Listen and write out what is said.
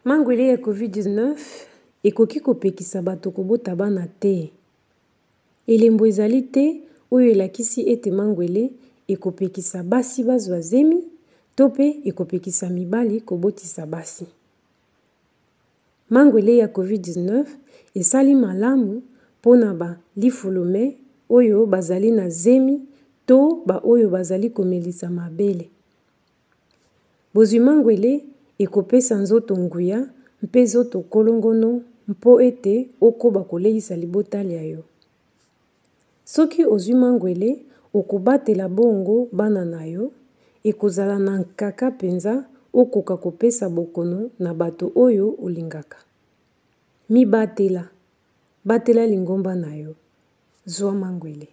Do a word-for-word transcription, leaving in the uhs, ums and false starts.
Mangwele ya covid dix-neuf ekoki kopekisa bato kobota bana te. Elembo ezali te oyo elakisi ete mangwele ekopekisa basi bazwa zemi to mpe ekopekisa mibali kobotisa basi. Mangwele ya covid dix-neuf esali malamu mpona ba lifulume oyo bazali na zemi to baoyo bazali komelisa mabele. Bozwi mangwele ekopesa nzoto nguya mpe nzoto kolongono mpo ete okoba koleisa libota lya yo. Soki ozwi mangwele, okobatela bongo bana na yo, ekozala na nkaka mpenza okoka kopesa bokono na bato oyo olingaka. Mibatela, batela lingomba na yo. Zwa mangwele.